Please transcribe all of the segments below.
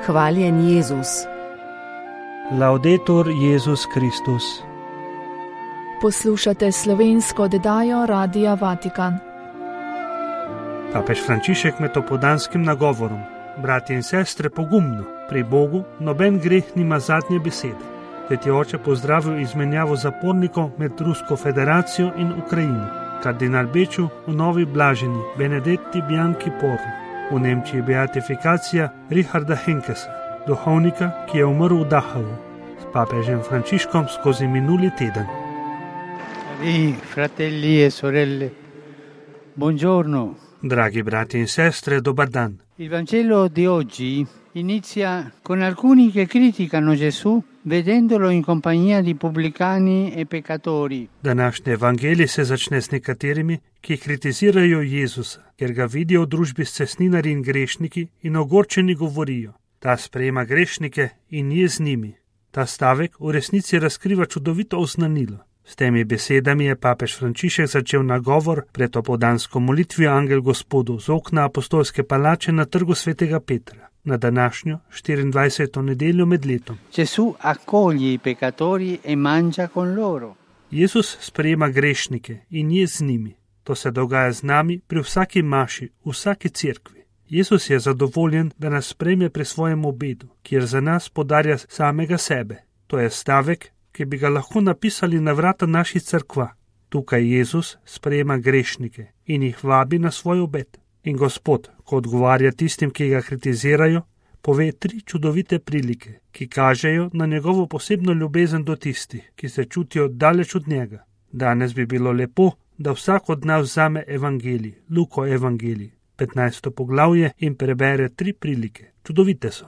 Hvaljen Jezus. Laudetur Jezus Kristus. Poslušate slovensko oddajo Radia Vatikan. Papež Frančišek med opoldanskim nagovorom: bratje in sestre, pogumno, pri Bogu noben greh nima zadnje besede. Sveti oče pozdravil izmenjavo zapornikov med Rusko federacijo in Ukrajino. Kardinal Beču v Novi Blaženi Benedetti Bianchi Porro, v Nemčiji beatifikacija Richarda Henkesa, duhovnika, ki je umrl v Dachavu, s papežem Frančiškom skozi minuli teden. Cari fratelli e sorelle, buongiorno. Dragi brati in sestre, dobar dan. Il Vangelo di oggi inizia con alcuni che criticano Gesù vedendolo in compagnia di pubblicani e peccatori. Današnji evangelij se začne s nekaterimi, ki kritizirajo Jezusa, ker ga vidijo v družbi s cestninarji in grešniki in ogorčeni govorijo: ta sprejema grešnike in je z njimi. Ta stavek v resnici razkriva čudovito oznanilo. S temi besedami je papež Frančišek začel nagovor pred opoldansko molitvijo Angel Gospodu z okna apostolske palače na trgu svetega Petra, na današnjo 24. nedeljo med letom. Gesù accoglie i peccatori e mangia con loro. Jezus sprejema grešnike in je z njimi. To se dogaja z nami pri vsaki maši, v vsaki cerkvi. Jezus je zadovoljen, da nas sprejme pri svojem obedu, kjer za nas podarja samega sebe. To je stavek, ki bi ga lahko napisali na vrata naših cerkva. Tukaj Jezus sprejema grešnike in jih vabi na svoj obed. In Gospod, ko odgovarja tistim, ki ga kritizirajo, pove 3 čudovite prilike, ki kažejo na njegovo posebno ljubezen do tistih, ki se čutijo daleč od njega. Danes bi bilo lepo, da vsak od nas vzame evangelij, Luko evangelij, 15. poglavje in prebere 3 prilike. Čudovite so.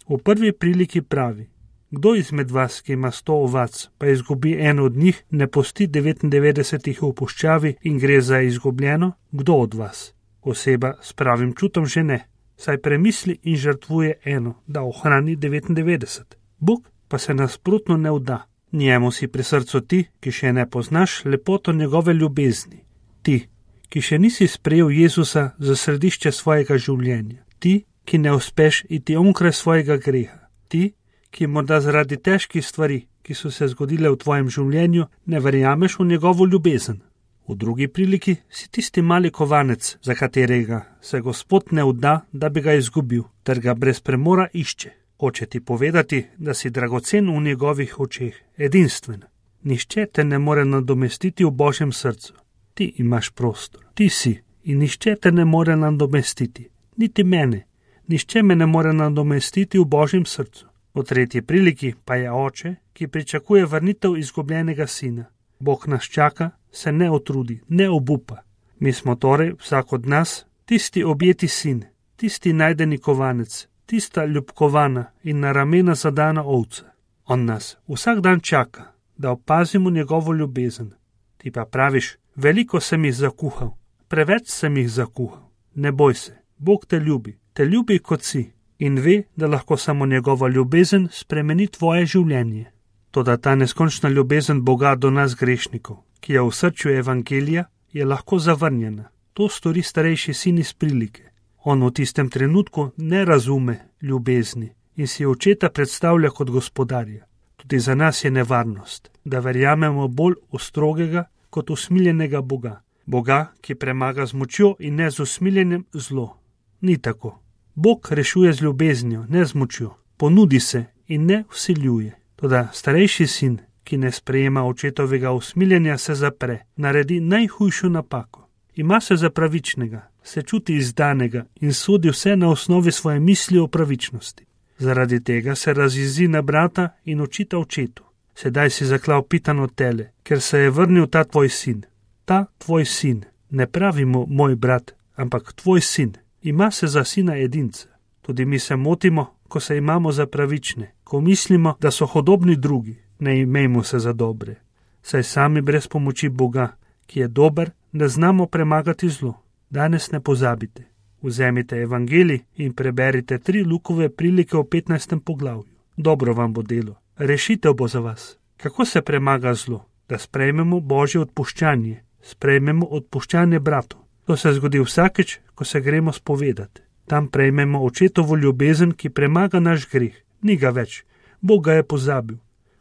V prvi priliki pravi: kdo izmed vas, ki ima 100 ovac, pa izgubi eno od njih, ne pusti 99 v puščavi in gre za izgubljeno? Kdo od vas? Oseba s pravim čutom že ne, saj premisli in žrtvuje eno, da ohrani 99. Bog pa se nasprotno ne vda. Njemu si pri srcu ti, ki še ne poznaš lepoto njegove ljubezni. Ti, ki še nisi sprejel Jezusa za središče svojega življenja. Ti, ki ne uspeš iti onkraj svojega greha. Ti, ki morda zaradi težkih stvari, ki so se zgodile v tvojem življenju, ne verjameš v njegovo ljubezen. V drugi priliki si tisti mali kovanec, za katerega se Gospod ne vda, da bi ga izgubil, ter ga brez premora išče. Hoče ti povedati, da si dragocen v njegovih očeh, edinstven. Nihče te ne more nadomestiti v Božjem srcu. Ti imaš prostor, ti si, in nihče te ne more nadomestiti. Niti mene, nihče me ne more nadomestiti v Božjem srcu. V tretji priliki pa je oče, ki pričakuje vrnitev izgubljenega sina. Bog nas čaka, se ne utrudi, ne obupa. Mi smo torej, vsak od nas, tisti objeti sin, tisti najdeni kovanec, tista ljubkovana in na ramena zadana ovca. On nas vsak dan čaka, da opazimo njegovo ljubezen. Ti pa praviš: veliko sem jih zakuhal, preveč sem jih zakuhal. Ne boj se, Bog te ljubi kot si in ve, da lahko samo njegova ljubezen spremeni tvoje življenje. Toda ta neskončna ljubezen Boga do nas grešnikov, ki je v srču evangelija, je lahko zavrnjena. To stori starejši sin iz prilike. On v tistem trenutku ne razume ljubezni in si očeta predstavlja kot gospodarja. Tudi za nas je nevarnost, da verjamemo bolj v strogega kot usmiljenega Boga. Boga, ki premaga z močjo in ne z usmiljenjem zlo. Ni tako. Bog rešuje z ljubeznijo, ne z močjo. Ponudi se in ne vsiljuje. Toda starejši sin, ki ne sprejema očetovega usmiljenja, se zapre, naredi najhujšo napako. Ima se za pravičnega, se čuti izdanega in sodi vse na osnovi svoje misli o pravičnosti. Zaradi tega se razjezi na brata in očita očetu: sedaj si zaklal pitano tele, ker se je vrnil ta tvoj sin. Ta tvoj sin, ne pravimo moj brat, ampak tvoj sin, ima se za sina edinca. Tudi mi se motimo, ko se imamo za pravične, ko mislimo, da so hodobni drugi. Ne imejmo se za dobre, saj sami brez pomoči Boga, ki je dober, ne znamo premagati zlo. Danes ne pozabite. Vzemite evangelij in preberite 3 Lukove prilike v 15. poglavju. Dobro vam bo delo. Rešitev bo za vas. Kako se premaga zlo? Da sprejmemo Božje odpuščanje. Sprejmemo odpuščanje bratov. To se zgodi vsakeč, ko se gremo spovedati. Tam prejmemo očetovo ljubezen, ki premaga naš greh. Ni ga več. Bog ga je pozabil.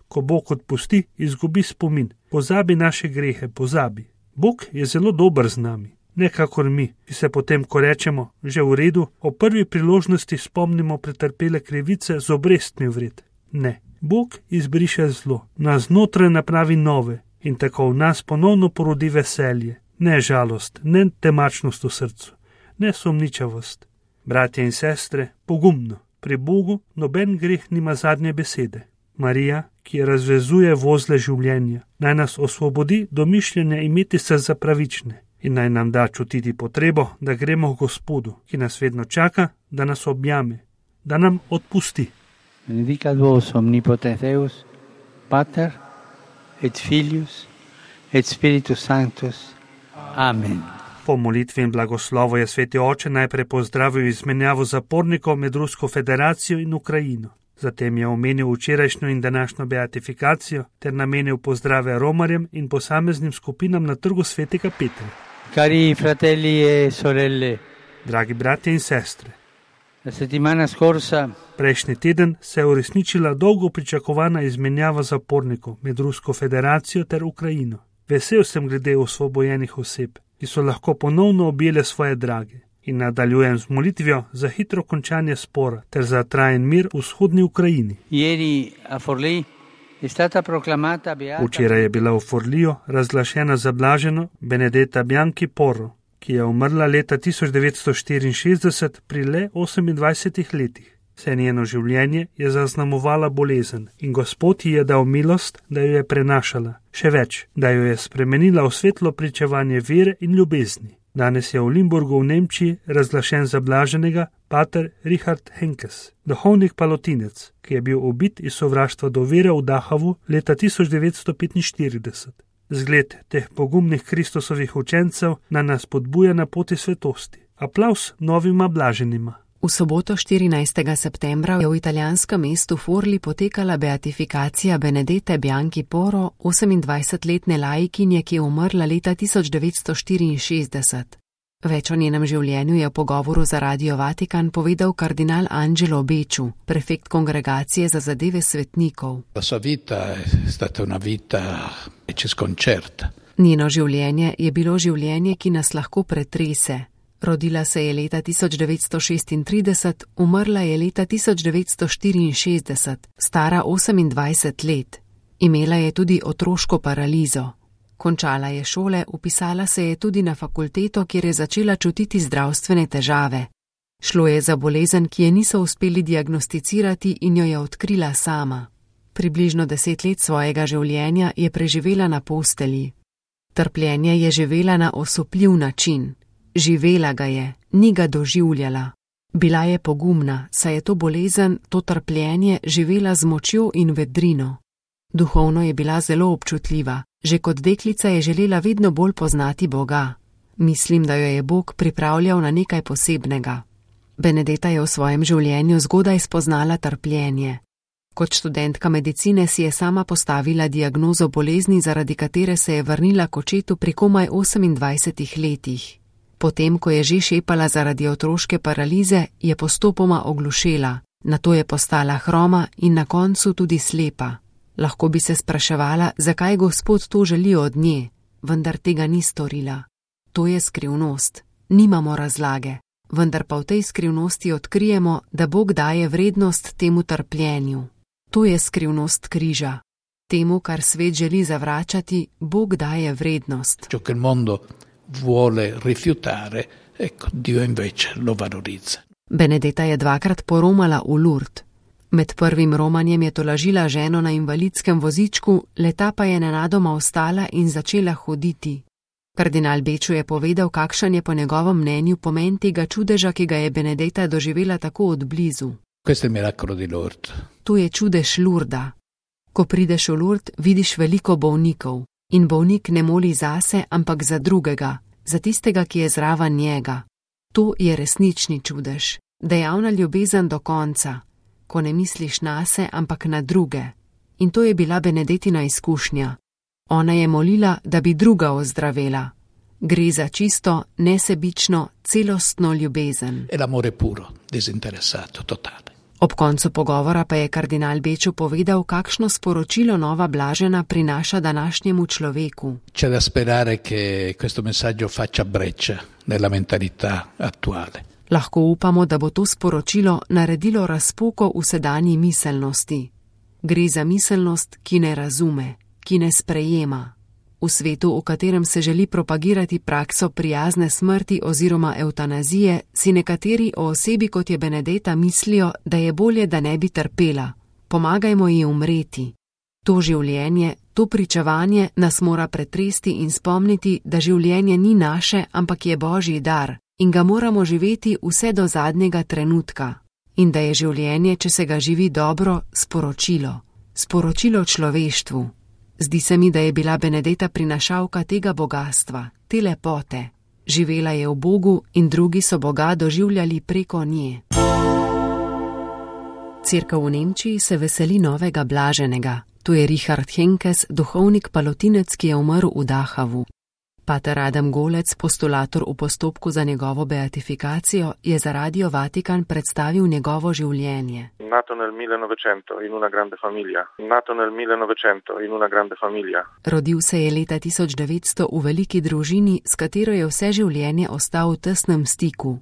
Ko Bog odpusti, izgubi spomin. Pozabi naše grehe, pozabi. Bog je zelo dober z nami. Ne kakor mi, ki se potem, ko rečemo, že v redu, o prvi priložnosti spomnimo pretrpele krivice z obrestmi vred. Ne. Bog izbriše zlo, nas znotraj napravi nove in tako v nas ponovno porodi veselje. Ne žalost, ne temačnost v srcu, ne sumničavost. Bratje in sestre, pogumno. Pri Bogu noben greh nima zadnje besede. Marija, ki razvezuje vozle življenja, naj nas osvobodi do mišljenja imeti se za pravične in naj nam da čutiti potrebo, da gremo k Gospodu, ki nas vedno čaka, da nas objame, da nam odpusti. Benedicat vos omnipotens Deus, Pater et Filius et Spiritus Sanctus. Amen. Po molitvi in blagoslovu je sveti oče najprej pozdravil izmenjavo zapornikov med Rusko federacijo in Ukrajino. Zatem je omenil včerajšnjo in današnjo beatifikacijo ter namenil pozdrave romarjem in posameznim skupinam na trgu svetega Petra. Cari fratelli e sorelle, dragi bratje in sestre, la settimana scorsa prejšnji teden se je uresničila dolgo pričakovana izmenjava zapornikov med Rusko federacijo ter Ukrajino. Vesel sem glede osvobojenih oseb, ki so lahko ponovno objele svoje drage. In nadaljujem z molitvijo za hitro končanje spora ter za trajen mir v vzhodni Ukrajini. Včeraj je bila v Forliju razglašena za blaženo Benedetta Bianchi Porro, ki je umrla leta 1964 pri le 28 letih. Vse njeno življenje je zaznamovala bolezen in Gospod ji je dal milost, da jo je prenašala. Še več, da jo je spremenila v svetlo pričevanje vere in ljubezni. Danes je v Limburgu v Nemčiji razglašen za blaženega pater Richard Henkes, duhovnik palotinec, ki je bil ubit iz sovraštva do vere v Dachavu leta 1945. Zgled teh pogumnih Kristusovih učencev nas podbuja na poti svetosti. Aplavz novima blaženima. V soboto 14. septembra je v italijanskem mestu Forli potekala beatifikacija Benedette Bianchi Porro, 28-letne laikinje, ki je umrla leta 1964. Več o njenem življenju je v pogovoru za Radio Vatikan povedal kardinal Angelo Becciu, prefekt kongregacije za zadeve svetnikov. Njeno življenje je bilo življenje, ki nas lahko pretrese. Rodila se je leta 1936, umrla je leta 1964, stara 28 let. Imela je tudi otroško paralizo. Končala je šole, vpisala se je tudi na fakulteto, kjer je začela čutiti zdravstvene težave. Šlo je za bolezen, ki je niso uspeli diagnosticirati in jo je odkrila sama. Približno 10 let svojega življenja je preživela na postelji. Trpljenje je živela na osupljiv način. Živela ga je, ni ga doživljala. Bila je pogumna, saj je to bolezen, to trpljenje živela z močjo in vedrino. Duhovno je bila zelo občutljiva, že kot deklica je želela vedno bolj poznati Boga. Mislim, da jo je Bog pripravljal na nekaj posebnega. Benedetta je v svojem življenju zgodaj spoznala trpljenje. Kot študentka medicine si je sama postavila diagnozo bolezni, zaradi katere se je vrnila k očetu pri komaj 28 letih. Potem, ko je že šepala zaradi otroške paralize, je postopoma oglušela, nato je postala hroma in na koncu tudi slepa. Lahko bi se spraševala, zakaj Gospod to želi od nje, vendar tega ni storila. To je skrivnost, nimamo razlage, vendar pa v tej skrivnosti odkrijemo, da Bog daje vrednost temu trpljenju. To je skrivnost križa. Temu, kar svet želi zavračati, Bog daje vrednost. Vuole rifiutare, ecco, Dio invece lo valorizza. Benedetta je dvakrat poromala v Lourdes. Med prvim romanjem je tolažila ženo na invalidskem vozičku, leta pa je nenadoma ostala in začela hoditi. Kardinal Becciu je povedal, kakšen je po njegovem mnenju pomen tega čudeža, ki ga je Benedetta doživela tako od blizu. Questo è il miracolo di Lourdes. To je čudež Lourda. Ko prideš v Lourdes, vidiš veliko bolnikov. In bolnik ne moli zase, ampak za drugega, za tistega, ki je zraven njega. To je resnični čudež, dejavna ljubezen do konca, ko ne misliš nase, ampak na druge. In to je bila Benedettina izkušnja. Ona je molila, da bi druga ozdravela. Gre za čisto, nesebično, celostno ljubezen. È l'amore puro, disinteressato, totale. Ob koncu pogovora pa je kardinal Beču povedal, kakšno sporočilo nova blažena prinaša današnjemu človeku. C'è da sperare che questo messaggio faccia breccia nella mentalità attuale. Lahko upamo, da bo to sporočilo naredilo razpoko v sedanji miselnosti. Gre za miselnost, ki ne razume, ki ne sprejema. V svetu, v katerem se želi propagirati prakso prijazne smrti oziroma evtanazije, si nekateri o osebi kot je Benedetta mislijo, da je bolje, da ne bi trpela. Pomagajmo ji umreti. To življenje, to pričevanje nas mora pretresti in spomniti, da življenje ni naše, ampak je Božji dar in ga moramo živeti vse do zadnjega trenutka. In da je življenje, če se ga živi dobro, sporočilo. Sporočilo človeštvu. Zdi se mi, da je bila Benedetta prinašalka tega bogastva, te lepote. Živela je v Bogu in drugi so Boga doživljali preko nje. Cerkev v Nemčiji se veseli novega blaženega. To je Richard Henkes, duhovnik palotinec, ki je umrl v Dachavu. Pater Adam Golec, postulator v postopku za njegovo beatifikacijo, je za Radio Vatikan predstavil njegovo življenje. Nato nel 1900 in una grande famiglia. Nato nel 1900 in una grande famiglia. Rodil se je leta 1900 v veliki družini, s katero je vse življenje ostal v tesnem stiku.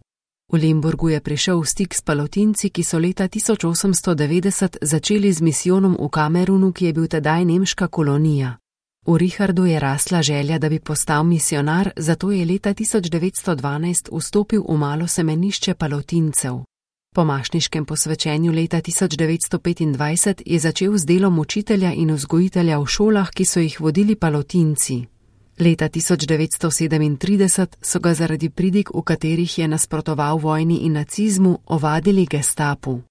V Limburgu je prišel v stik s palotinci, ki so leta 1890 začeli z misijonom v Kamerunu, ki je bil tedaj nemška kolonija. V Richardu je rasla želja, da bi postal misionar, zato je leta 1912 vstopil v malo semenišče palotincev. Po mašniškem posvečenju leta 1925 je začel z delom učitelja in vzgojitelja v šolah, ki so jih vodili palotinci. Leta 1937 so ga zaradi pridig, v katerih je nasprotoval vojni in nacizmu, ovadili gestapu.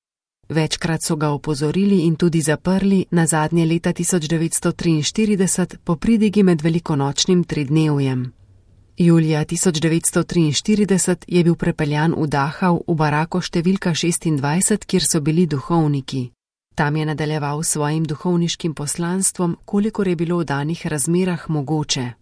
Večkrat so ga opozorili in tudi zaprli, nazadnje leta 1943 po pridigi med velikonočnim tridnevjem. Julija 1943 je bil prepeljan v Dachau v barako številka 26, kjer so bili duhovniki. Tam je nadaljeval svojim duhovniškim poslanstvom, kolikor je bilo v danih razmerah mogoče.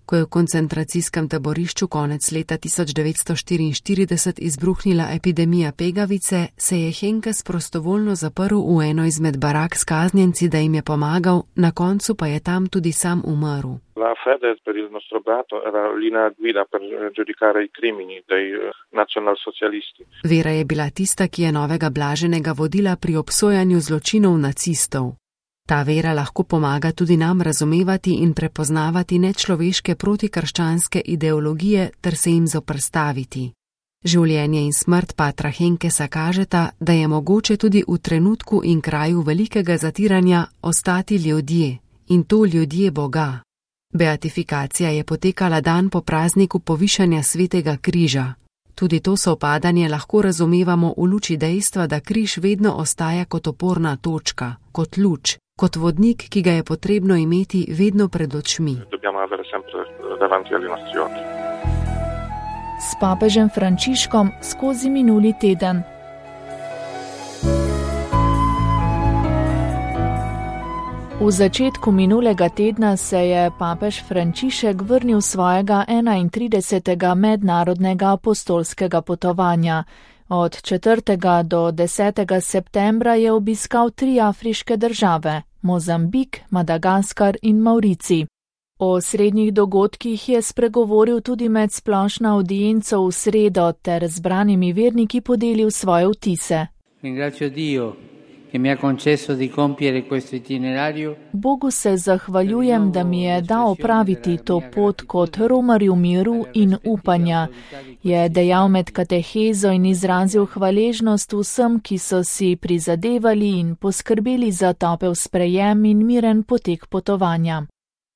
Ko je v koncentracijskem taborišču konec leta 1944 izbruhnila epidemija pegavice, se je Henkes prostovoljno zaprl v eno izmed barak s kaznjenci, da jim je pomagal, na koncu pa je tam tudi sam umrl. La fede per il nostro brato era linea guida per giudicare i crimini dei nazionalsocialisti. Vera je bila tista, ki je novega blaženega vodila pri obsojanju zločinov nacistov. Ta vera lahko pomaga tudi nam razumevati in prepoznavati nečloveške protikrščanske ideologije ter se jim zoprstaviti. Življenje in smrt patra Henkesa kažeta, da je mogoče tudi v trenutku in kraju velikega zatiranja ostati ljudje, in to ljudje Boga. Beatifikacija je potekala dan po prazniku povišanja svetega križa. Tudi to sovpadanje lahko razumevamo v luči dejstva, da križ vedno ostaja kot oporna točka, kot luč, kot vodnik, ki ga je potrebno imeti vedno pred očmi. S papežem Frančiškom skozi minuli teden. V začetku minulega tedna se je papež Frančišek vrnil svojega 31. mednarodnega apostolskega potovanja. Od 4. do 10. septembra je obiskal 3 afriške države: Mozambik, Madagaskar in Maurici. O srednjih dogodkih je spregovoril tudi med splošno audienco v sredo ter zbranimi verniki podelil svoje vtise. Bogu se zahvaljujem, da mi je dal opraviti to pot kot romarju miru in upanja, je dejal med katehezo in izrazil hvaležnost vsem, ki so si prizadevali in poskrbeli za topel sprejem in miren potek potovanja.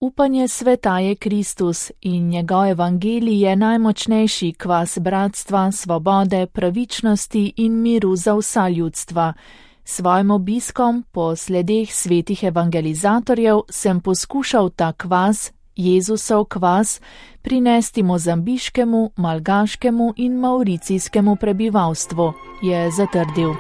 Upanje sveta je Kristus in njegov evangelij je najmočnejši kvas bratstva, svobode, pravičnosti in miru za vsa ljudstva. Svojim obiskom po sledeh svetih evangelizatorjev sem poskušal ta kvas, Jezusov kvas, prinesti mozambiškemu, malgaškemu in mauricijskemu prebivalstvu, je zatrdil.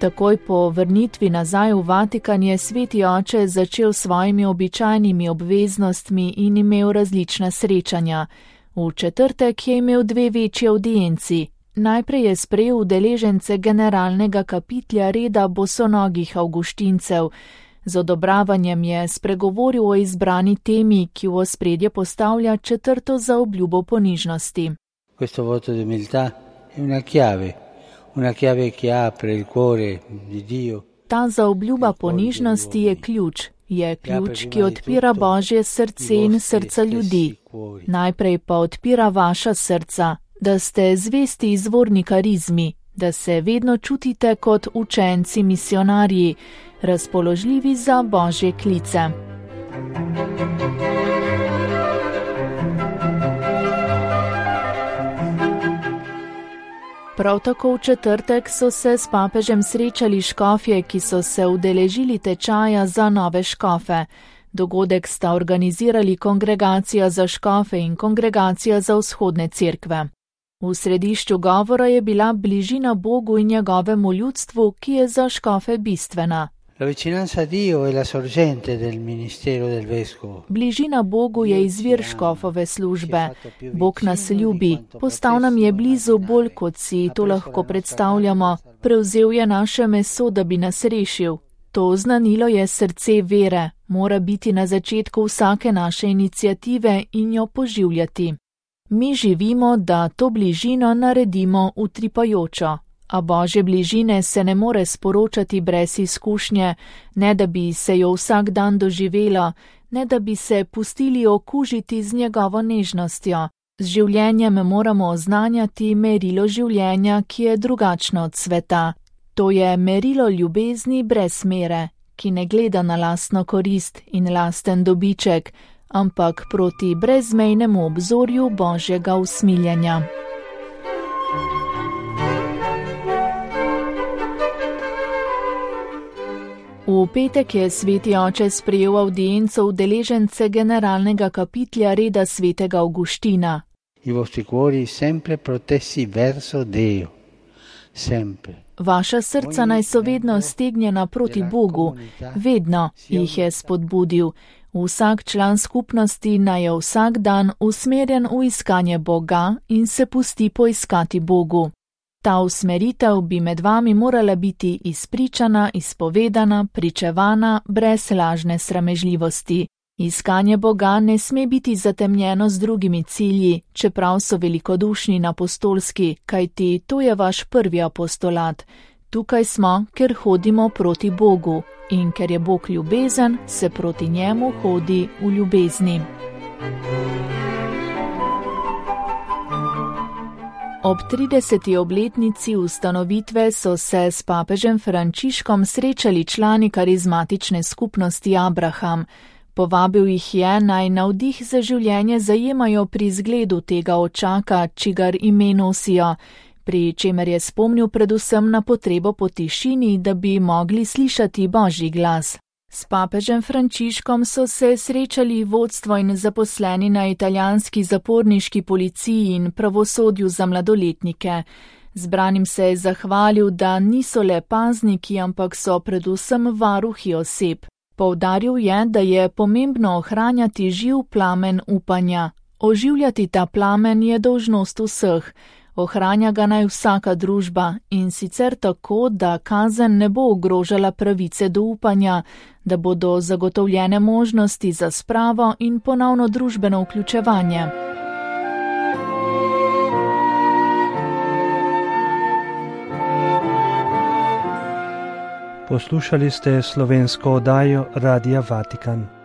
Takoj po vrnitvi nazaj v Vatikan je sveti oče začel s svojimi običajnimi obveznostmi in imel različna srečanja. V četrtek je imel 2 večji audienci. Najprej je sprejel udeležence generalnega kapitlja reda bosonogih avguštincev. Z odobravanjem je spregovoril o izbrani temi, ki v ospredje postavlja 4. zaobljubo ponižnosti. Questo voto di umiltà è una chiave che apre il cuore di Dio. Ta zaobljuba ponižnosti je ključ, ki odpira Božje srce in srca ljudi. Najprej pa odpira vaša srca, da ste zvesti izvorni karizmi, da se vedno čutite kot učenci misionarji, razpoložljivi za Božje klice. Prav tako v četrtek so se s papežem srečali škofje, ki so se udeležili tečaja za nove škofe. Dogodek sta organizirali Kongregacija za škofe in Kongregacija za vzhodne cerkve. V središču govora je bila bližina Bogu in njegovemu ljudstvu, ki je za škofe bistvena. Bližina Bogu je izvir škofove službe. Bog nas ljubi, postal nam je blizu bolj, kot si to lahko predstavljamo. Prevzel je naše meso, da bi nas rešil. To oznanilo je srce vere, mora biti na začetku vsake naše iniciative in jo poživljati. Mi živimo, da to bližino naredimo utripajočo. A Božje bližine se ne more sporočati brez izkušnje, ne da bi se jo vsak dan doživelo, ne da bi se pustili okužiti z njegovo nežnostjo. Z življenjem moramo oznanjati merilo življenja, ki je drugačno od sveta. To je merilo ljubezni brez mere, ki ne gleda na lastno korist in lasten dobiček, ampak proti brezmejnemu obzorju Božjega usmiljenja. V petek je sveti oče sprejel audienco udeležence generalnega kapitlja reda svetega Avguština. Vaša srca naj so vedno stegnjena proti Bogu, vedno jih je spodbudil. Vsak član skupnosti naj je vsak dan usmerjen v iskanje Boga in se pusti poiskati Bogu. Ta usmeritev bi med vami morala biti izpričana, izpovedana, pričevana, brez lažne sramežljivosti. Iskanje Boga ne sme biti zatemnjeno z drugimi cilji, čeprav so velikodušni in apostolski, kajti to je vaš prvi apostolat. Tukaj smo, ker hodimo proti Bogu in ker je Bog ljubezen, se proti njemu hodi v ljubezni. Ob 30. obletnici ustanovitve so se s papežem Frančiškom srečali člani karizmatične skupnosti Abraham. Povabil jih je, naj navdih za življenje zajemajo pri zgledu tega očaka, čigar ime nosijo, pri čemer je spomnil predvsem na potrebo po tišini, da bi mogli slišati Božji glas. S papežem Frančiškom so se srečali vodstvo in zaposleni na italijanski zaporniški policiji in pravosodju za mladoletnike. Zbranim se je zahvalil, da niso le pazniki, ampak so predvsem varuhi oseb. Poudaril je, da je pomembno ohranjati živ plamen upanja. Oživljati ta plamen je dolžnost vseh. Ohranja ga naj vsaka družba in sicer tako, da kazen ne bo ogrožala pravice do upanja, da bodo zagotovljene možnosti za spravo in ponovno družbeno vključevanje. Poslušali ste slovensko oddajo Radia Vatikan.